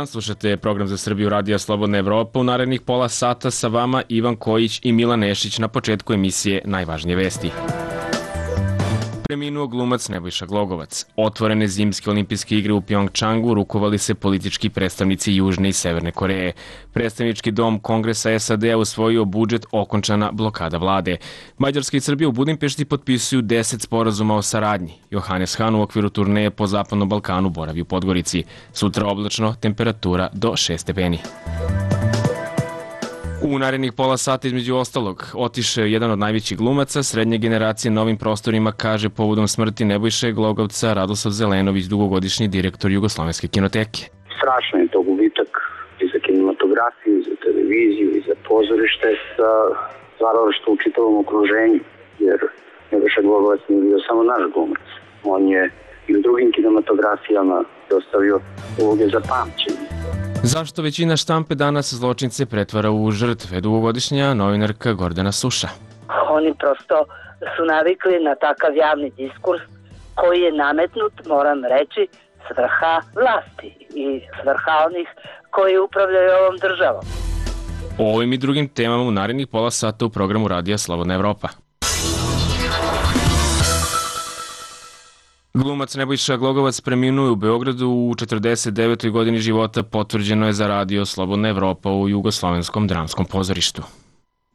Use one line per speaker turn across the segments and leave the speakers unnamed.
dan, slušate program za Srbiju Radija Slobodna Evropa. U narednih pola sata sa vama Ivan Kojić i Milan Nešić. Na početku emisije najvažnije vesti. Preminuo glumac Nebojša Glogovac. Otvorene zimske olimpijske igre u Pjongčangu rukovali se politički predstavnici Južne i Severne Koreje. Predstavnički dom Kongresa SAD-a usvojio budžet, okončana blokada vlade. Mađarska i Srbija u Budimpešti potpisuju 10 sporazuma o saradnji. Johannes Hahn u okviru turneje po Zapadnom Balkanu boravi u Podgorici. Sutra oblačno, temperatura do 6 stepeni. U narednih pola sata između ostalog otišao jedan od najvećih glumaca srednje generacije na ovim prostorima, kaže povodom smrti Nebojše Glogovca Radoslav Zelenović, dugogodišnji direktor Jugoslovenske kinoteke.
Strašno je to gubitak i za kinematografiju, i za televiziju, i za pozorište, za stvaralaštvo u čitavom okruženju, jer Nebojša Glogovac nije bio samo naš glumac. On je i u drugim kinematografijama ostavio uloge za pamćenje.
Zašto većina štampe danas zločince pretvara u žrtve? Dugogodišnja novinarka Gordana Suša.
Oni prosto su navikli na takav javni diskurs koji je nametnut, moram reći, s vrha vlasti i s vrha onih koji upravljaju ovom državom.
O ovim i drugim temama u narednih pola sata u programu Radija Slobodna Evropa. Glumac Nebojša Glogovac preminuo je u Beogradu u 49. godini života, potvrđeno je za Radio Slobodna Evropa u Jugoslovenskom dramskom pozorištu.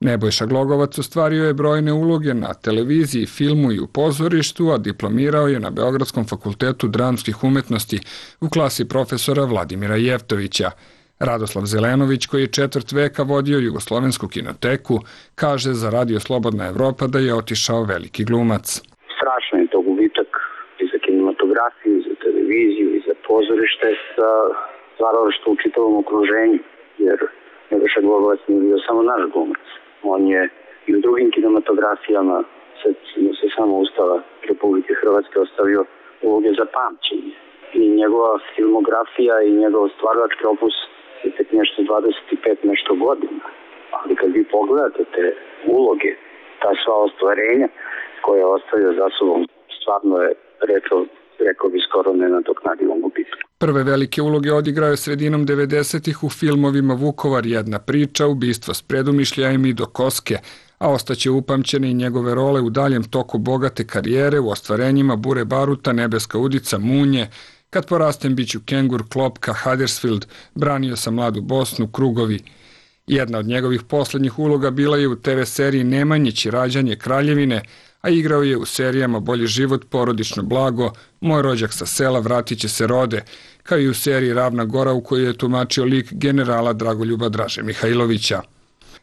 Nebojša Glogovac ostvario je brojne uloge na televiziji, filmu i u pozorištu, a diplomirao je na Beogradskom fakultetu dramskih umetnosti u klasi profesora Vladimira Jevtovića. Radoslav Zelenović, koji je četvrt veka vodio Jugoslovensku kinoteku, kaže za Radio Slobodna Evropa da je otišao veliki glumac.
Strašno je to gubitak i za kinematografiju, i za televiziju, i za pozorište, za stvaralaštvo u čitavom okruženju, jer Nebojša Glogovac nije bio samo naš glumac. On je i u drugim kinematografijama se samo Ustava Republike Hrvatske ostavio uloge za pamćenje. I njegova filmografija i njegov stvaralački opus je tek nešto 25 nešto godina. Ali kad vi pogledate te uloge, ta sva ostvarenja koje je ostavio za sobom, stvarno je rekao bi skoro nenadoknadivom gubitku.
Prve velike uloge odigrao je sredinom 90-ih u filmovima Vukovar, jedna priča, Ubistvo s predumišljajem i Do koske, a ostaće upamćene i njegove role u daljem toku bogate karijere u ostvarenjima Bure baruta, Nebeska udica, Munje, Kad porastem biću kengur, Klopka, Huddersfield, Branio sam mladu Bosnu, Krugovi. Jedna od njegovih poslednjih uloga bila je u TV seriji Nemanjić, Rađanje kraljevine, a igrao je u serijama Bolji život, Porodično blago, Moj rođak sa sela, Vratit će se rode, kao i u seriji Ravna gora u kojoj je tumačio lik generala Dragoljuba Draže Mihajlovića.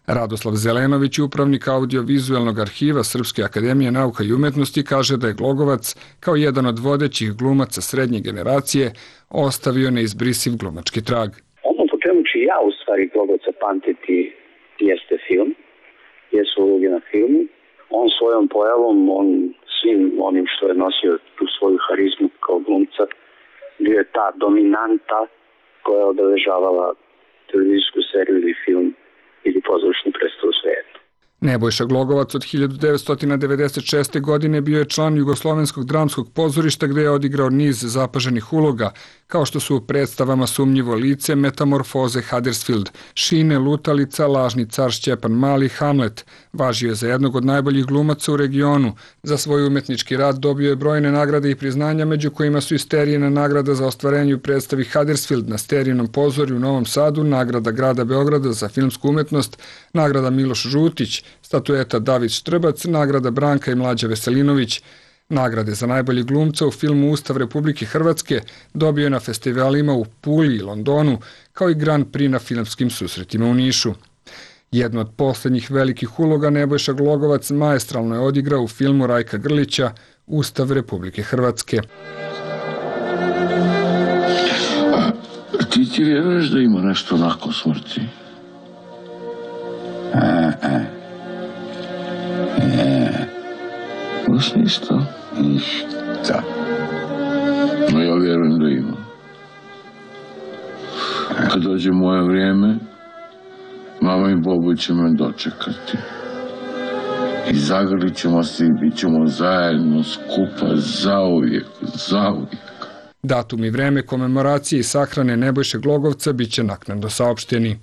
Radoslav Zelenović, upravnik audiovizualnog arhiva Srpske akademije nauka i umetnosti, kaže da je Glogovac, kao jedan od vodećih glumaca srednje generacije, ostavio neizbrisiv glumački trag.
Ono po čemu ću ja u stvari Glogovca pamtiti jeste film, jesu uloge na filmu. On svojom pojavom, on svim onim što je nosio tu svoju harizmu kao glumca, bio je ta dominanta koja je obeležavala televizijsku seriju ili film ili pozorišnu predstavu u svijetu.
Nebojša Glogovac od 1996. godine bio je član Jugoslovenskog dramskog pozorišta gde je odigrao niz zapaženih uloga, kao što su u predstavama Sumnjivo lice, Metamorfoze, Huddersfield, Šine, Lutalica, Lažni car Šćepan Mali, Hamlet. Važio je za jednog od najboljih glumaca u regionu. Za svoj umetnički rad dobio je brojne nagrade i priznanja, među kojima su i Sterijina nagrada za ostvarenje u predstavi Huddersfield na Sterijinom pozorju u Novom Sadu, nagrada grada Beograda za filmsku umetnost, nagrada Miloš Žutić, statueta David Štrbac, nagrada Branka i Mlađa Veselinović. Nagrade za najbolji glumca u filmu Ustav Republike Hrvatske dobio je na festivalima u Puli i Londonu, kao i Grand Prix na filmskim susretima u Nišu. Jednu od poslednjih velikih uloga Nebojša Glogovac maestralno je odigrao u filmu Rajka Grlića Ustav Republike Hrvatske.
Ti vjeruješ da ima nešto nakon smrti? Baš ništa. Ništa. No ja vjerujem da ima. Kad dođe moje vrijeme, mama i Bobo će me dočekati. I zagrlit ćemo se i bit ćemo zajedno skupa zauvijek, zauvijek.
Datum i vreme komemoracije i sahrane Nebojše Glogovca biće naknadno saopšteni.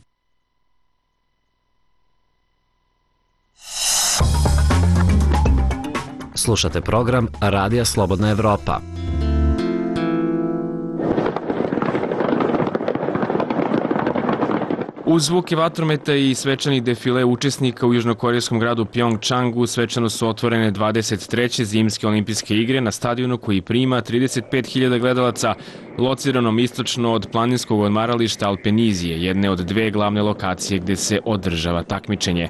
Slušate program Radija Slobodna Evropa.
Uz zvuke vatrometa i svečanih defile učesnika u južnokorejskom gradu Pjongčangu svečano su otvorene 23. zimske olimpijske igre na stadionu koji prima 35.000 gledalaca, lociranom istočno od planinskog odmarališta Alpenizije, jedne od dve glavne lokacije gde se održava takmičenje.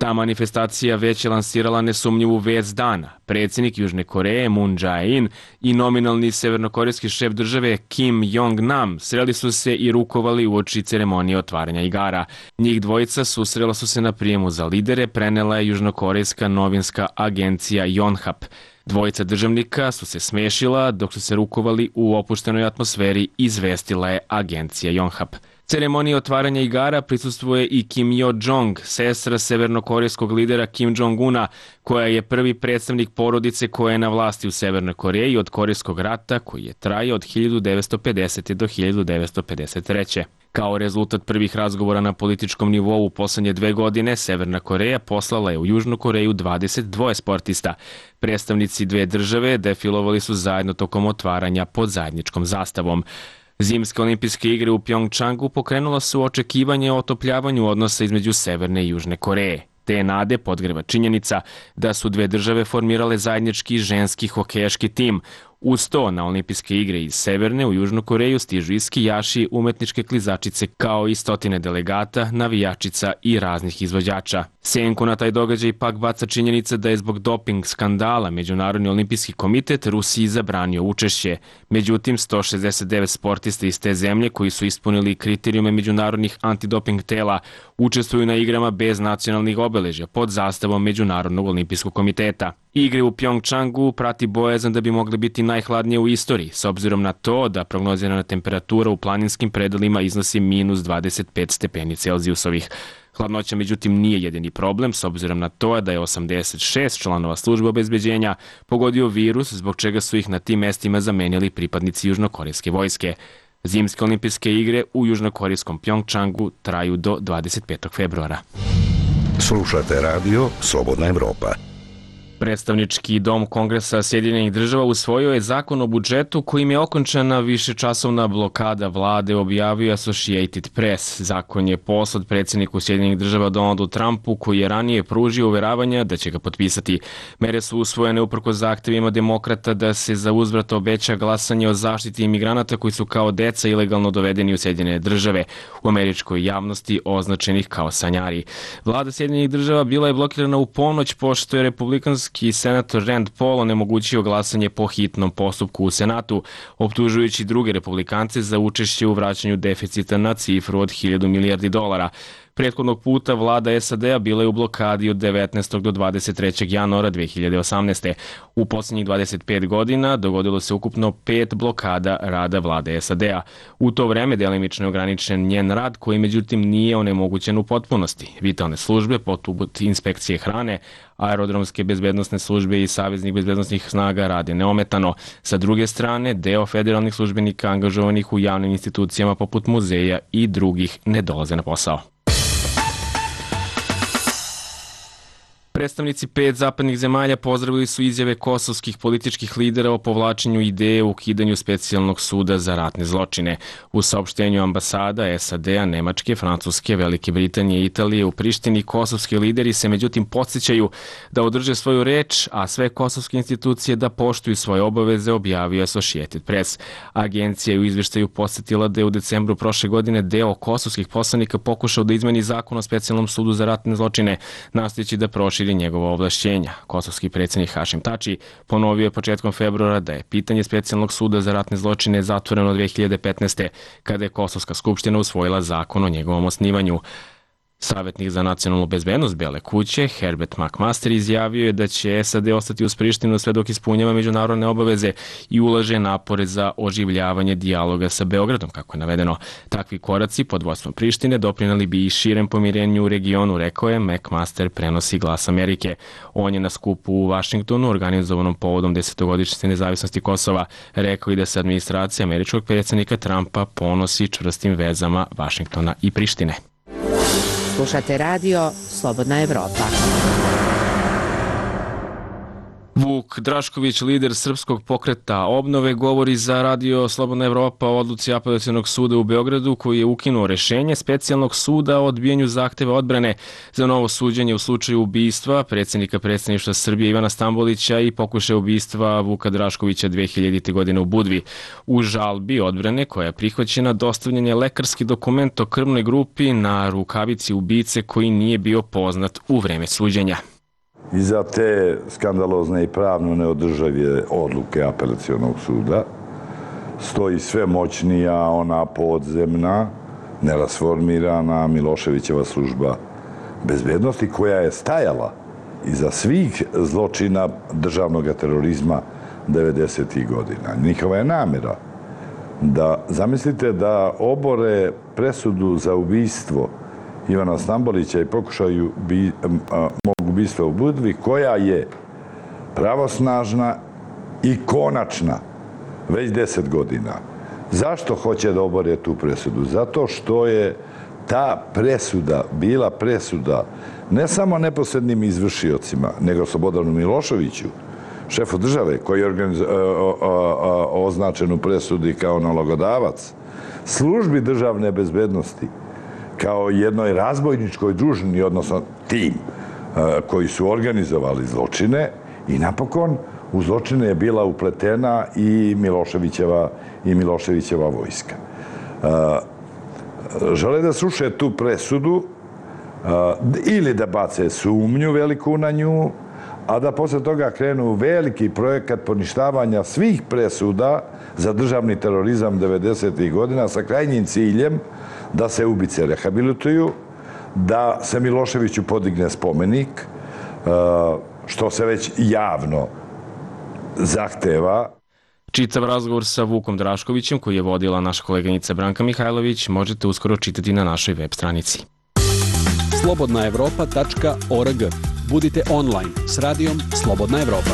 Ta manifestacija već je lansirala nesumnjivu vest dana. Predsjednik Južne Koreje Moon Jae-in i nominalni severnokorejski šef države Kim Jong-nam sreli su se i rukovali uoči ceremonije otvaranja igara. Njih dvojica susrela su se na prijemu za lidere, prenela je južnokorejska novinska agencija Yonhap. Dvojica državnika su se smešila dok su se rukovali u opuštenoj atmosferi, izvestila je agencija Yonhap. Ceremoniji otvaranja igara prisustvuje i Kim Yo-jong, sestra severnokorejskog lidera Kim Jong-una, koja je prvi predstavnik porodice koja je na vlasti u Severnoj Koreji od Korejskog rata koji je trajao od 1950. do 1953. Kao rezultat prvih razgovora na političkom nivou u poslednje 2 godine, Severna Koreja poslala je u Južnu Koreju 22 sportista. Predstavnici dve države defilovali su zajedno tokom otvaranja pod zajedničkom zastavom. Zimske olimpijske igre u Pjongčangu pokrenula su očekivanje o otopljavanju odnosa između Severne i Južne Koreje. Te nade podgreva činjenica da su dve države formirale zajednički ženski hokejaški tim. Uz to, na olimpijske igre iz Severne u Južnu Koreju stižu i skijaši, umetničke klizačice, kao i stotine delegata, navijačica i raznih izvođača. Senku na taj događaj pak baca činjenica da je zbog doping skandala Međunarodni olimpijski komitet Rusiji zabranio učešće. Međutim, 169 sportista iz te zemlje koji su ispunili kriterijume međunarodnih antidoping tela učestvuju na igrama bez nacionalnih obeležja pod zastavom Međunarodnog olimpijskog komiteta. Igre u Pjongčangu prati bojazan da bi mogle biti najhladnije u istoriji, s obzirom na to da prognozirana temperatura u planinskim predelima iznosi minus 25 stepeni Celzijusovih. Hladnoća, međutim, nije jedini problem, s obzirom na to da je 86 članova službe obezbeđenja pogodio virus, zbog čega su ih na tim mestima zamenili pripadnici južnokorejske vojske. Zimske olimpijske igre u južnokorejskom Pjongčangu traju do 25. februara.
Slušate radio Slobodna Evropa.
Predstavnički dom Kongresa Sjedinjenih država usvojio je zakon o budžetu kojim je okončana višečasovna blokada vlade, objavio Associated Press. Zakon je poslat predsjedniku Sjedinjenih država Donaldu Trumpu, koji je ranije pružio uveravanja da će ga potpisati. Mere su usvojene uprkos zahtevima demokrata da se za uzvrat obeća glasanje o zaštiti imigranata koji su kao deca ilegalno dovedeni u Sjedinjene države, u američkoj javnosti označenih kao sanjari. Vlada Sjedinjenih država bila je blokirana u ponoć pošto je republikanski senator Rand Paul onemogućio glasanje po hitnom postupku u Senatu, optužujući druge republikance za učešće u vraćanju deficita na cifru od 1000 milijardi dolara. Prethodnog puta vlada SAD-a bila je u blokadi od 19. do 23. januara 2018. U posljednjih 25 godina dogodilo se ukupno 5 blokada rada vlade SAD-a. U to vreme delimično je ograničen njen rad, koji međutim nije onemogućen u potpunosti. Vitalne službe, poput inspekcije hrane, aerodromske bezbednosne službe i saveznih bezbednosnih snaga rade neometano. Sa druge strane, deo federalnih službenika angažovanih u javnim institucijama poput muzeja i drugih ne dolaze na posao. Predstavnici 5 zapadnih zemalja pozdravili su izjave kosovskih političkih lidera o povlačenju ideje o ukidanju specijalnog suda za ratne zločine. U saopštenju ambasada SAD-a, Nemačke, Francuske, Velike Britanije i Italije u Prištini kosovski lideri se međutim podsjećaju da održe svoju reč, a sve kosovske institucije da poštuju svoje obaveze, objavio Associated Press. Agencija je u izveštaju podsjetila da je u decembru prošle godine deo kosovskih poslanika pokušao da izmeni zakon o specijalnom sudu za ratne zločine, nastojeći da proširi njegova ovlašćenja. Kosovski predsjednik Hašim Tači ponovio je početkom februara da je pitanje specijalnog suda za ratne zločine zatvoreno 2015. kada je Kosovska skupština usvojila zakon o njegovom osnivanju. Savjetnik za nacionalnu bezbednost Bele kuće, Herbert McMaster, izjavio je da će SAD ostati uz Prištinu sve dok ispunjava međunarodne obaveze i ulaže napore za oživljavanje dijaloga sa Beogradom, kako je navedeno. Takvi koraci pod vodstvom Prištine doprineli bi i širem pomirenju u regionu, rekao je McMaster, prenosi Glas Amerike. On je na skupu u Vašingtonu, organizovanom povodom 10-godišnjice nezavisnosti Kosova, rekao i da se administracija američkog predsjednika Trumpa ponosi čvrstim vezama Vašingtona i Prištine.
Slušate radio Slobodna Evropa.
Vuk Drašković, lider Srpskog pokreta obnove, govori za radio Slobodna Evropa o odluci Apelacionog suda u Beogradu koji je ukinuo rešenje specijalnog suda o odbijanju zahteva odbrane za novo suđenje u slučaju ubistva predsjednika predsjedništva Srbije Ivana Stambolića i pokušaja ubistva Vuka Draškovića 2000. godine u Budvi. U žalbi odbrane koja je prihvaćena dostavljen je lekarski dokument o krvnoj grupi na rukavici ubice koji nije bio poznat u vreme suđenja.
Iza te skandalozne i pravno neodržave odluke Apelacionog suda stoji sve moćnija ona podzemna, nerasformirana Miloševićeva služba bezbednosti koja je stajala iza svih zločina državnog terorizma 90. godina. Njihova je namjera da, zamislite da obore presudu za ubistvo Ivana Stambolića i pokušaju mog ubistva u Budvi, koja je pravosnažna i konačna već 10 godina. Zašto hoće da obore tu presudu? Zato što je ta presuda bila presuda ne samo neposrednim izvršiocima, nego Slobodanu Miloševiću, šefu države, koji je označen u presudi kao nalogodavac, službi državne bezbednosti, kao jednoj razbojničkoj družini, odnosno tim koji su organizovali zločine, i napokon u zločine je bila upletena i Miloševićeva vojska. Žele da sruše tu presudu ili da bace sumnju veliku na nju, a da posle toga krenu veliki projekat poništavanja svih presuda za državni terorizam 90. godina sa krajnjim ciljem da se ubice rehabilituju, da se Miloševiću podigne spomenik, što se već javno zahteva.
Čitav razgovor sa Vukom Draškovićem, koji je vodila naša koleginica Branka Mihajlović, možete uskoro čitati na našoj web stranici.
slobodnaevropa.org. Budite online s radijom Slobodna Evropa.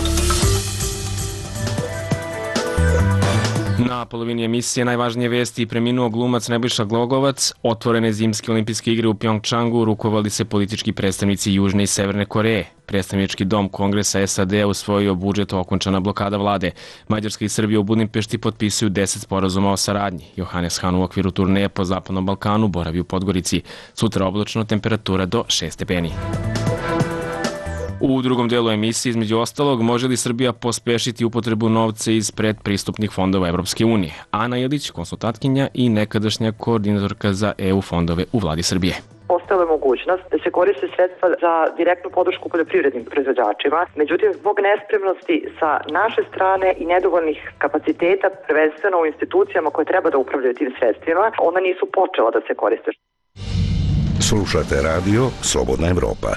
Na polovini emisije najvažnije vesti: preminuo glumac Nebojša Glogovac, otvorene zimske olimpijske igre u Pjongčangu, rukovali se politički predstavnici Južne i Severne Koreje. Predstavnički dom Kongresa SAD-a usvojio budžet, okončana blokada vlade. Mađarska i Srbija u Budimpešti potpisuju 10 sporazuma o saradnji. Johannes Hahn u okviru turneje po Zapadnom Balkanu boravi u Podgorici. Sutra oblačno, temperatura do 6 stepeni. U drugom delu emisije, između ostalog, može li Srbija pospešiti upotrebu novca iz predpristupnih fondova Evropske unije? Ana Ilić, konsultantkinja i nekadašnja koordinatorka za EU fondove u vladi Srbije.
Postala je mogućnost da se koriste sredstva za direktnu podršku poljoprivrednim proizvođačima. Međutim, zbog nespremnosti sa naše strane i nedovoljnih kapaciteta, prvenstveno u institucijama koje treba da upravljaju tim sredstvima, ona nisu počela da se koriste.
Slušate radio Slobodna Evropa.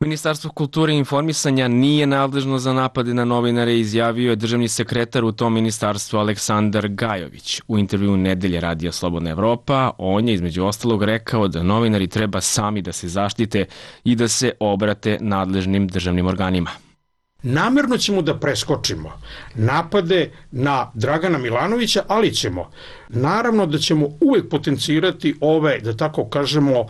Ministarstvo kulture i informisanja nije nadležno za napade na novinare, izjavio je državni sekretar u tom ministarstvu Aleksandar Gajović. U intervju Nedelje radija Slobodna Evropa on je između ostalog rekao da novinari treba sami da se zaštite i da se obrate nadležnim državnim organima.
Namerno ćemo da preskočimo napade na Dragana Milanovića, ali naravno da ćemo uvek potencirati ove, da tako kažemo,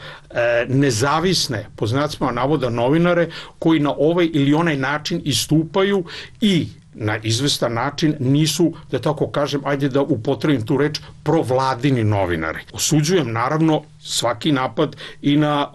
nezavisne, po znacima navoda, novinare koji na ovaj ili onaj način istupaju i na izvestan način nisu, da tako kažem, ajde da upotrebim tu reč, provladini novinari. Osuđujem naravno svaki napad i na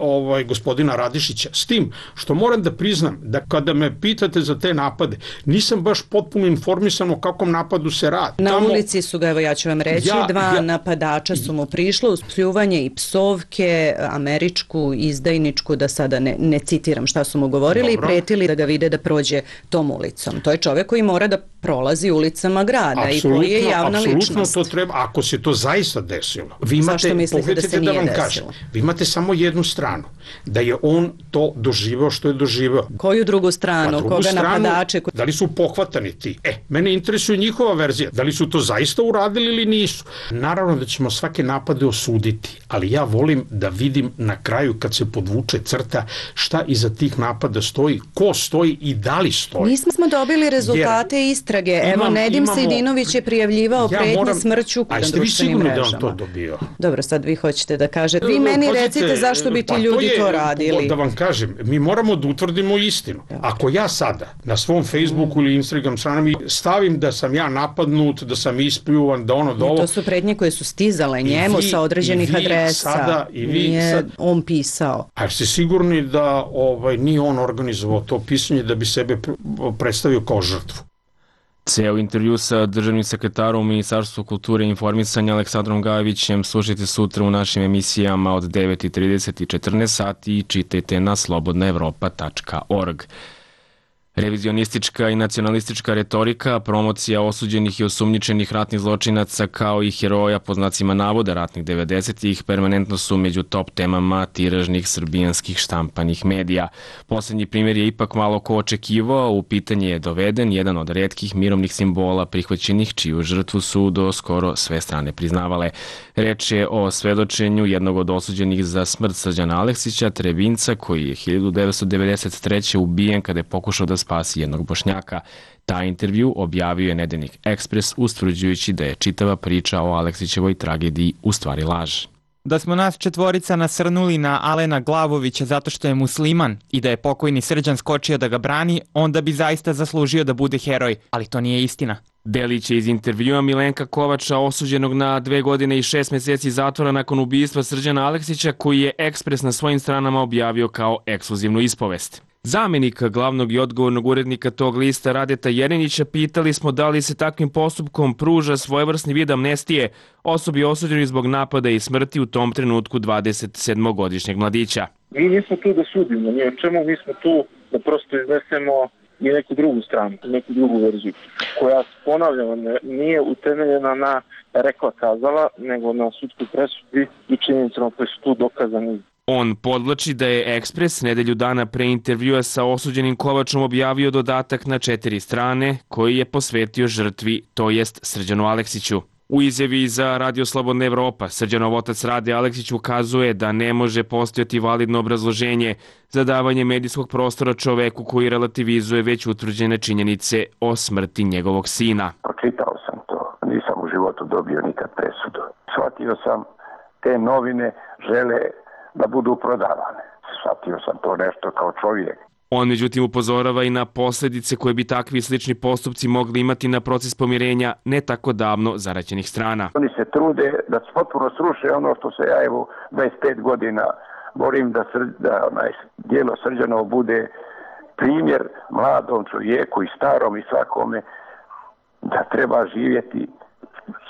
gospodina Radišića. S tim što moram da priznam da kada me pitate za te napade, nisam baš potpuno informisan o kakvom napadu se radi.
Na ulici su ga, evo ja ću vam reći, dva napadača su mu prišlo uz pljuvanje i psovke, američku, izdajničku, da sada ne citiram šta su mu govorili, i pretili da ga vide da prođe tom ulicom. To je čovjek koji mora da prolazi ulicama grada i koji je javna ličnost.
Apsolutno to treba, ako se to zaista desilo.
Zašto mislite da se nije desilo? desilo?
Vi imate samo jednu stranu, da je on to doživeo što je doživeo.
Koju drugu stranu? Koga napadače?
Da li su pohvatani ti? Mene interesuje njihova verzija. Da li su to zaista uradili ili nisu? Naravno da ćemo svake napade osuditi, ali ja volim da vidim na kraju kad se podvuče crta šta iza tih napada stoji, ko stoji i da li stoji.
Nismo dobili rezultate istrage. Evo, Nedim Sejdinović je prijavljivao pretnje smrću na društvenim mrežama.
A jeste vi sigurni da on to dobio?
Dobro, sad vi hoćete da kažete. Vi meni recite zašto bi ti ljudi to radili.
Da vam kažem, mi moramo da utvrdimo istinu. Ako ja sada na svom Facebooku ili Instagram stranami stavim da sam ja napadnut, da sam ispljuvan, da ono da ovo...
To su pretnje koje su stizale njemu sa određenih adresa. Nije on pisao.
A ste sigurni da nije on organizovao to pisanje da bi sebe predstavio kao žrtvu?
Ceo intervju sa državnim sekretarom u Ministarstvu kulture i informisanja Aleksandrom Gajevićem slušajte sutra u našim emisijama od 9:30 i 14 sati i čitajte na slobodnaevropa.org. Revizionistička i nacionalistička retorika, promocija osuđenih i osumnjičenih ratnih zločinaca kao i heroja po znacima navoda ratnih 90-ih permanentno su među top temama tiražnih srbijanskih štampanih medija. Poslednji primjer je ipak malo ko očekivao, u pitanje je doveden jedan od retkih mirovnih simbola prihvaćenih čiju žrtvu su do skoro sve strane priznavale. Reč je o svedočenju jednog od osuđenih za smrt Srđana Aleksića, Trebinca, koji je 1993. ubijen kada je pokušao da spasi jednog Bošnjaka. Taj intervju objavio je nedeljnik Ekspres ustvrđujući da je čitava priča o Aleksićevoj tragediji u stvari laž.
Da smo nas četvorica nasrnuli na Alena Glavovića zato što je musliman i da je pokojni Srđan skočio da ga brani, onda bi zaista zaslužio da bude heroj, ali to nije istina.
Delić je iz intervjua Milenka Kovača, osuđenog na 2 godine i 6 meseci zatvora nakon ubistva Srđana Aleksića, koji je Ekspres na svojim stranama objavio kao ekskluzivnu ispovest. Zamenika glavnog i odgovornog urednika tog lista Radeta Jerinića pitali smo da li se takvim postupkom pruža svojevrsni vid amnestije osobi osuđenoj zbog napada i smrti u tom trenutku 27-godišnjeg mladića.
Mi nismo tu da sudimo, ni o čemu, mi smo tu da prosto iznesemo i neku drugu stranu, neku drugu verziju, koja, ponavljamo, nije utemeljena na rekla kazala, nego na sudskoj presudi i činjenicama koje su tu dokazani.
On podvlači da je Ekspres nedelju dana pre intervjua sa osuđenim Kovačom objavio dodatak na 4 strane koji je posvetio žrtvi, to jest Srđanu Aleksiću. U izjavi za Radio Slobodna Evropa, Srđanov otac Rade Aleksić ukazuje da ne može postojati validno obrazloženje za davanje medijskog prostora čoveku koji relativizuje već utvrđene činjenice o smrti njegovog sina.
Pročitao sam to, nisam u životu dobio nikad presudu. Shvatio sam, te novine žele da budu prodavane. Shvatio sam to nešto kao čovjek.
On međutim upozorava i na posljedice koje bi takvi slični postupci mogli imati na proces pomirenja ne tako davno zaraćenih strana.
Oni se trude da potpuno sruše ono što se ja 25 godina borim da djelo Srđanovo bude primjer mladom čovjeku i starom i svakome da treba živjeti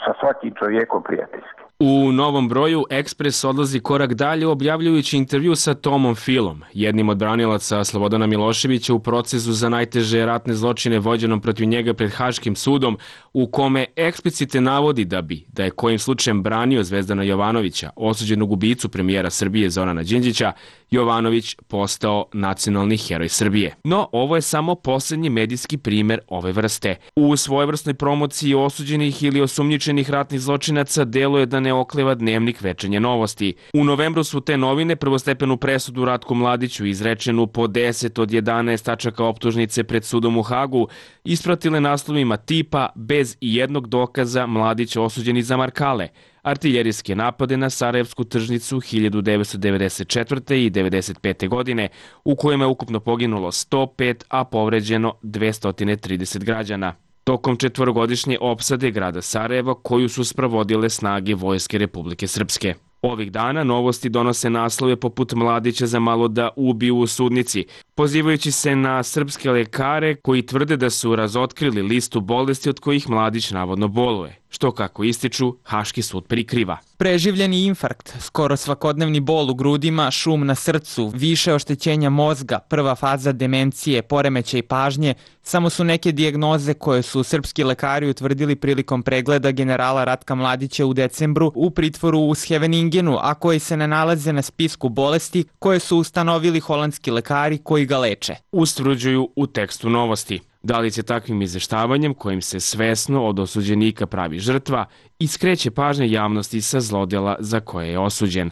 sa svakim čovjekom prijateljski.
U novom broju Ekspres odlazi korak dalje objavljujući intervju sa Tomom Filom, jednim od branilaca Slobodana Miloševića u procesu za najteže ratne zločine vođenom protiv njega pred Haškim sudom, u kome eksplicite navodi da je kojim slučajem branio Zvezdana Jovanovića, osuđenog ubicu premijera Srbije Zorana Đinđića, Jovanović postao nacionalni heroj Srbije. No, ovo je samo posljednji medijski primer ove vrste. U svojevrsnoj promociji osuđenih ili osumnjičenih ratnih zločinaca deluje da ne okleva dnevnik Večernje novosti. U novembru su te novine prvostepenu presudu Ratku Mladiću, izrečenu po 10 od 11 tačaka optužnice pred sudom u Hagu, ispratile naslovima tipa bez i jednog dokaza Mladić osuđeni za Markale, artiljerijske napade na Sarajevsku tržnicu 1994. i 1995. godine, u kojima je ukupno poginulo 105, a povređeno 230 građana. Tokom 4-godišnje opsade grada Sarajeva koju su sprovodile snage Vojske Republike Srpske. Ovih dana novosti donose naslove poput Mladića za malo da ubiju u sudnici, pozivajući se na srpske lekare koji tvrde da su razotkrili listu bolesti od kojih mladić navodno boluje, što kako ističu, Haški sud prikriva.
Preživljeni infarkt, skoro svakodnevni bol u grudima, šum na srcu, više oštećenja mozga, prva faza demencije, poremećaj pažnje, samo su neke dijagnoze koje su srpski lekari utvrdili prilikom pregleda generala Ratka Mladića u decembru u pritvoru u Scheveningenu, a koji se ne nalaze na spisku bolesti koje su ustanovili holandski lekari koji ga leče.
Ustvrđuju u tekstu Novosti. Da li će takvim izveštavanjem, kojim se svesno od osuđenika pravi žrtva, i skreće pažnje javnosti sa zlodela za koje je osuđen.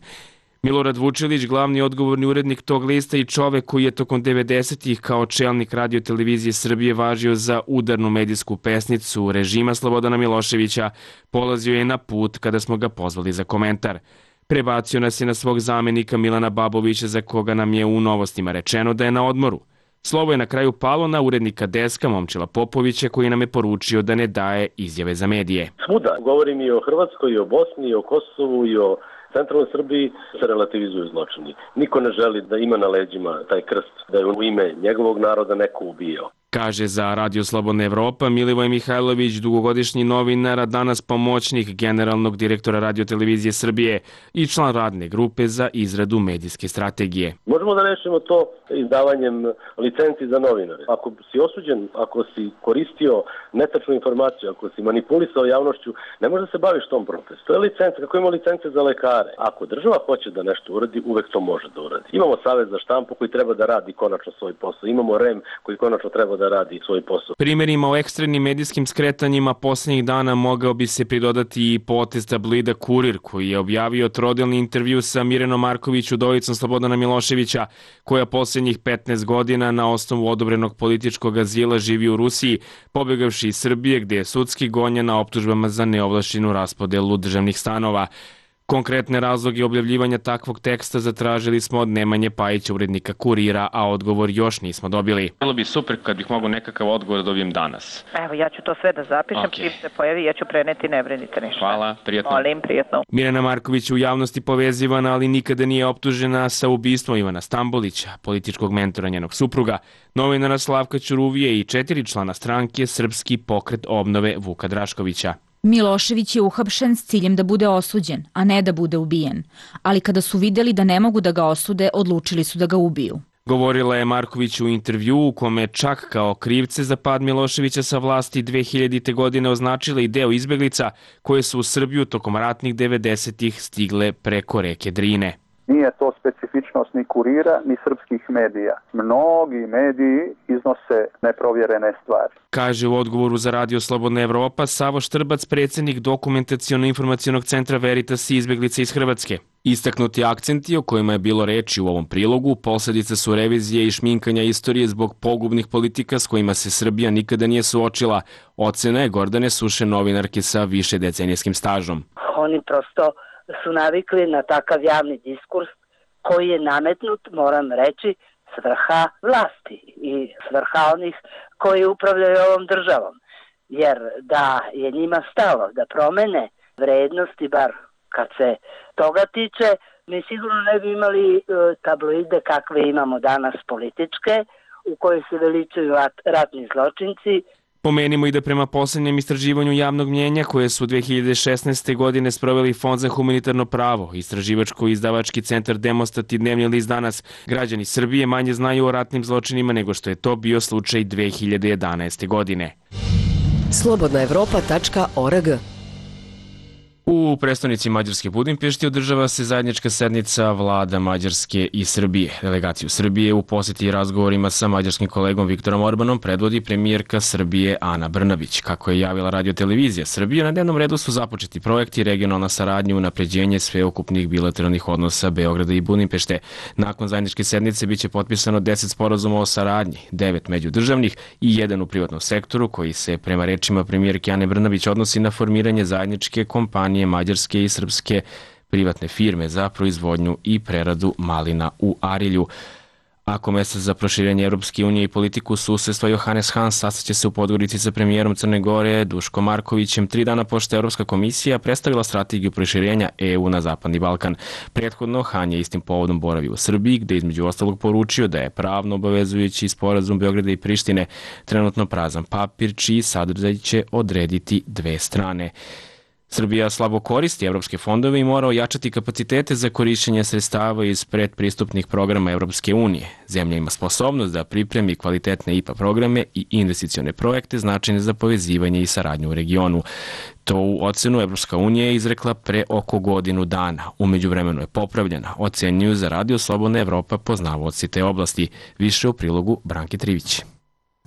Milorad Vučilić, glavni odgovorni urednik tog lista i čovek koji je tokom 90-ih kao čelnik Radio-televizije Srbije važio za udarnu medijsku pesnicu režima Slobodana Miloševića, polazio je na put kada smo ga pozvali za komentar. Prebacio nas je na svog zamenika Milana Babovića, za koga nam je u Novostima rečeno da je na odmoru. Slovo je na kraju palo na urednika Deska Momčila Popovića, koji nam je poručio da ne daje izjave za medije.
Svuda, govorim i o Hrvatskoj, i o Bosni, i o Kosovu, i o centralnoj Srbiji, se relativizuju zločini. Niko ne želi da ima na leđima taj krst, da je u ime njegovog naroda neko ubijao.
Kaže za Radio Slobodna Evropa Milivoj Mihajlović, dugogodišnji novinar, a danas pomoćnik generalnog direktora Radio-televizije Srbije i član radne grupe za izradu medijske strategije.
Možemo da rešimo to izdavanjem licenci za novinare. Ako si osuđen, ako si koristio netačnu informaciju, ako si manipulisao javnošću, ne može da se baviš tom procesom. To je licenca, kako ima licence za lekare. Ako država hoće da nešto uradi, uvek to može da uradi. Imamo Savez za štampu koji treba da radi konačno svoj posao. Imamo REM koji konačno treba da radi svoj posao.
Primerima o ekstremnim medijskim skretanjima poslednjih dana mogao bi se pridodati i potez tabloida Kurir, koji je objavio trodelni intervju sa Mirenom Marković, udovicom Slobodana Miloševića, koja poslednjih 15 godina na osnovu odobrenog političkog azila živi u Rusiji, pobegavši iz Srbije gde je sudski gonjena optužbama za neovlašćenu raspodelu državnih stanova. Konkretne razloge objavljivanja takvog teksta zatražili smo od Nemanje Pajića, urednika Kurira, a odgovor još nismo dobili. Bilo bi super kad bih mogao nekakav odgovor da dobijem danas.
Evo, ja ću to sve da zapišem, čim se pojavi, ja ću preneti, ne brinite ništa.
Hvala, prijatno.
Molim, prijatno.
Mirjana Marković u javnosti povezivana, ali nikada nije optužena sa ubistvom Ivana Stambolića, političkog mentora njenog supruga, novinara Slavka Ćuruvije i 4 člana stranke Srpski pokret obnove Vuka Draškovića.
Milošević je uhapšen s ciljem da bude osuđen, a ne da bude ubijen. Ali kada su videli da ne mogu da ga osude, odlučili su da ga ubiju.
Govorila je Marković u intervju u kome čak kao krivce za pad Miloševića sa vlasti 2000. godine označila i deo izbeglica koje su u Srbiju tokom ratnih 90-ih stigle preko reke Drine.
Nije to specifičnost ni Kurira, ni srpskih medija. Mnogi mediji iznose neprovjerene stvari.
Kaže u odgovoru za Radio Slobodna Evropa Savo Štrbac, predsjednik Dokumentaciono-informacionog centra Veritas i izbeglice iz Hrvatske. Istaknuti akcenti o kojima je bilo reči u ovom prilogu posledica su revizije i šminkanja istorije zbog pogubnih politika s kojima se Srbija nikada nije suočila. Ocena je Gordane Suše, novinarke sa više decenijskim stažom.
Oni prosto su navikli na takav javni diskurs koji je nametnut, moram reći, s vrha vlasti i s vrha onih koji upravljaju ovom državom. Jer da je njima stalo da promene vrednosti, bar kad se toga tiče, mi sigurno ne bi imali tabloide kakve imamo danas političke, u kojoj se veličaju ratni zločinci.
Pomenimo i da prema poslednjem istraživanju javnog mnjenja koje su 2016. godine sproveli Fond za humanitarno pravo, istraživačko-izdavački centar Demostat i Dnevni list Danas, građani Srbije manje znaju o ratnim zločinima nego što je to bio slučaj 2011. godine.
Slobodnaevropa.org.
U prestonici Mađarske Budimpešti održava se zajednička sednica vlada Mađarske i Srbije. Delegaciju Srbije u poseti i razgovorima sa mađarskim kolegom Viktorom Orbanom predvodi premijerka Srbije Ana Brnabić. Kako je javila Radio-televizija Srbije, na dnevnom redu su započeti projekti, regionalna saradnja, unapređenje sveukupnih bilateralnih odnosa Beograda i Budimpešte. Nakon zajedničke sednice biće potpisano 10 sporazuma o saradnji, 9 međudržavnih i 1 u privatnom sektoru, koji se prema rečima premijerke Ane Brnabić odnosi na formiranje zajedničke kompanije mađarske i srpske privatne firme za proizvodnju i preradu malina u Arilju. A komesar za proširenje Evropske unije i politiku susedstva Johannes Hahn sastaće se u Podgorici sa premijerom Crne Gore Duškom Markovićem 3 dana pošto je Evropska komisija predstavila strategiju proširenja EU na Zapadni Balkan. Prethodno Hahn je istim povodom boravio u Srbiji, gde između ostalog poručio da je pravno obavezujući sporazum Beograda i Prištine trenutno prazan papir, čiji sadržaj će odrediti dve strane. Srbija slabo koristi evropske fondove i mora ojačati kapacitete za korišćenje sredstava iz predpristupnih programa Evropske unije. Zemlja ima sposobnost da pripremi kvalitetne IPA programe i investicione projekte značajne za povezivanje i saradnju u regionu. To u ocenu Evropska unija je izrekla pre oko godinu dana. U međuvremenu je popravljena, ocenjuju za Radio Slobodna Evropa poznavaoci te oblasti. Više u prilogu Branke Trivić.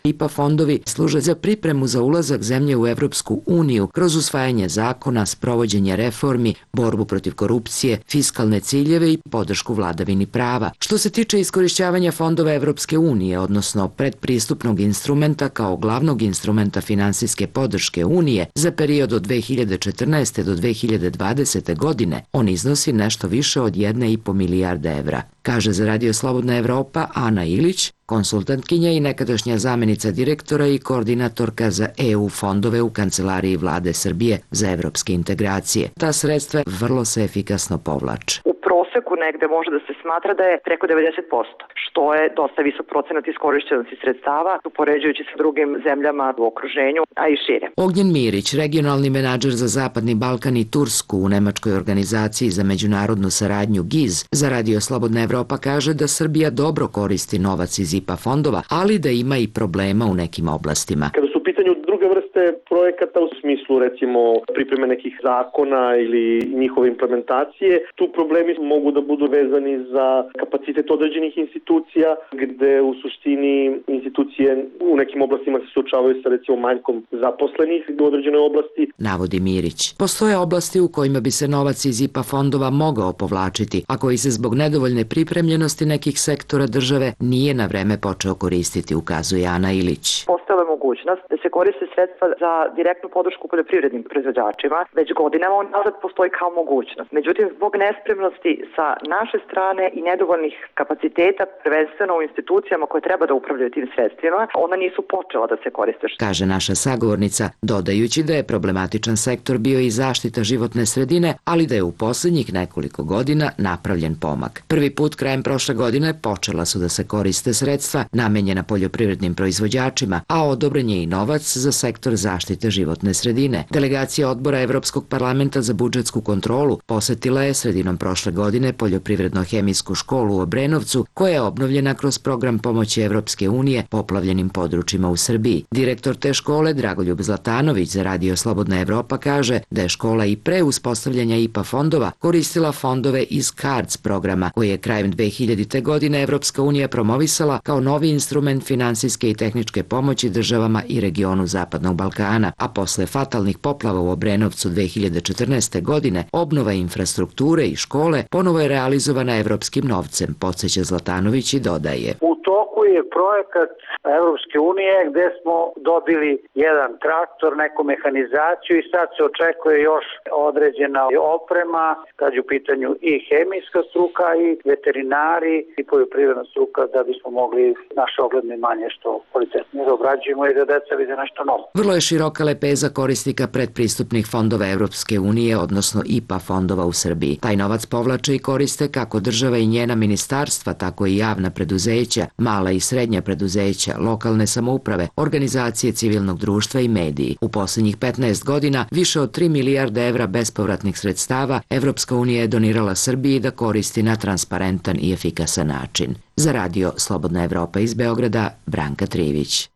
IPA fondovi služe za pripremu za ulazak zemlje u Evropsku uniju kroz usvajanje zakona, sprovođenje reformi, borbu protiv korupcije, fiskalne ciljeve i podršku vladavini prava. Što se tiče iskorišćavanja fondova Evropske unije, odnosno predpristupnog instrumenta kao glavnog instrumenta finansijske podrške Unije za period od 2014. do 2020. godine, on iznosi nešto više od 1,5 milijarda evra. Kaže za Radio Slobodna Evropa Ana Ilić, konsultantkinja i nekadašnja zamenica direktora i koordinatorka za EU fondove u Kancelariji Vlade Srbije za evropske integracije. Ta sredstva vrlo se efikasno povlače.
U proseku negde može da se smatra da je preko 90%, što je dosta visok procenat iskorišćenosti sredstava, upoređujući sa drugim zemljama u okruženju, a i šire.
Ognjen Mirić, regionalni menadžer za Zapadni Balkan i Tursku u Nemačkoj organizaciji za međunarodnu saradnju GIZ, za Radio Slobodna Evropa kaže da Srbija dobro koristi novac iz IPA fondova, ali da ima i problema u nekim oblastima.
Kada su u pitanju druge vrste projekata u smislu recimo pripreme nekih zakona ili njihove implementacije, tu problemi mogu da budu vezani za kapacitet određenih institucija, gde u suštini institucije u nekim oblastima se suočavaju sa recimo manjkom zaposlenih u određenoj oblasti.
Navodi Mirić. Postoje oblasti u kojima bi se novac iz IPA fondova mogao povlačiti, a koji se zbog nedovoljne pripremljenosti nekih sektora države nije na vreme počeo koristiti, ukazuje Ana Ilić.
Postojala je mogućnost da se koriste sredstva za direktnu podršku poljoprivrednim proizvođačima. Već godinama nazad postoji kao mogućnost. Međutim, zbog nespremnosti sa naše strane i nedovoljnih kapaciteta, prvenstveno u institucijama koje treba da upravljaju tim sredstvima, ona nisu počela da se koriste.
Kaže naša sagovornica, dodajući da je problematičan sektor bio i zaštita životne sredine, ali da je u poslednjih nekoliko godina napravljen pomak. Prvi put krajem prošle godine počela su da se koriste sredstva namenjena poljoprivrednim proizvođačima, a odobren je i novac za sektor zaštite životne sredine. Delegacija odbora Evropskog parlamenta za budžetsku kontrolu posetila je sredinom prošle godine poljoprivredno-hemijsku školu u Obrenovcu, koja je obnovljena kroz program pomoći Evropske unije poplavljenim područjima u Srbiji. Direktor te škole, Dragoljub Zlatanović, za Radio Slobodna Evropa kaže da je škola i pre uspostavljanja IPA fondova koristila fondove iz CARDS programa, koji je krajem 2000. godine Evropska unija promovisala kao novi instrument finansijske i tehničke pomoći državama i regionu Zapadnog Balkana, a posle fatalnih poplava u Obrenovcu 2014. godine obnova infrastrukture i škole ponovo je realizovana evropskim novcem, podsjeća Zlatanović i dodaje.
U toku je projekat Evropske unije gde smo dobili jedan traktor, neku mehanizaciju i sad se očekuje još određena oprema, kad je u pitanju i hemijska struka i veterinari i poljoprivredna struka, da bismo mogli naše ogledne imanje što kvalitetnije da obrađujemo i da deca vide nešto novo.
Vrlo je široka lepeza korisnika predpristupnih fondova Evropske unije, odnosno IPA fondova u Srbiji. Taj novac povlače i koriste kako država i njena ministarstva, tako i javna preduzeća, mala i srednja preduzeća, lokalne samouprave, organizacije civilnog društva i mediji. U poslednjih 15 godina više od 3 milijarde evra bespovratnih sredstava Evropska unija je donirala Srbiji da koristi na transparentan i efikasan način. Za Radio Slobodna Evropa iz Beograda, Branka Trivić.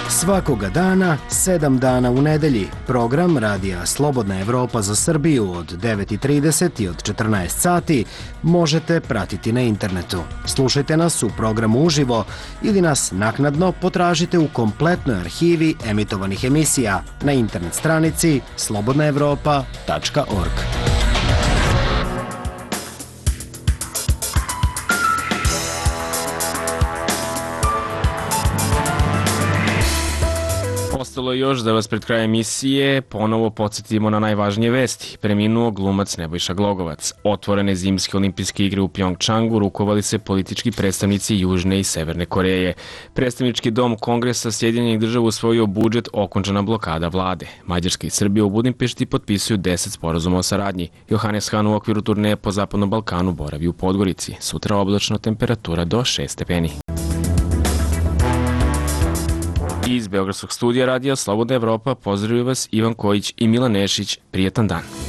Svakoga dana, 7 dana u nedelji, program Radija Slobodna Evropa za Srbiju od 9:30 i od 14 sati možete pratiti na internetu. Slušajte nas u programu uživo ili nas naknadno potražite u kompletnoj arhivi emitovanih emisija na internet stranici slobodnaevropa.org.
Ostalo je još da vas pred krajem emisije ponovo podsjetimo na najvažnije vesti. Preminuo glumac Nebojša Glogovac. Otvorene zimske olimpijske igre u Pjongčangu rukovali se politički predstavnici Južne i Severne Koreje. Predstavnički dom Kongresa Sjedinjenih država usvojio budžet, okončana blokada vlade. Mađarska i Srbija u Budimpešti potpisuju 10 sporazuma o saradnji. Johannes Hahn u okviru turneje po Zapadnom Balkanu boravi u Podgorici. Sutra oblačno, temperatura do 6 stepeni. Iz Beogradskog studija radija Slobodna Evropa pozdravljaju vas Ivan Kojić i Milan Nešić. Prijetan dan.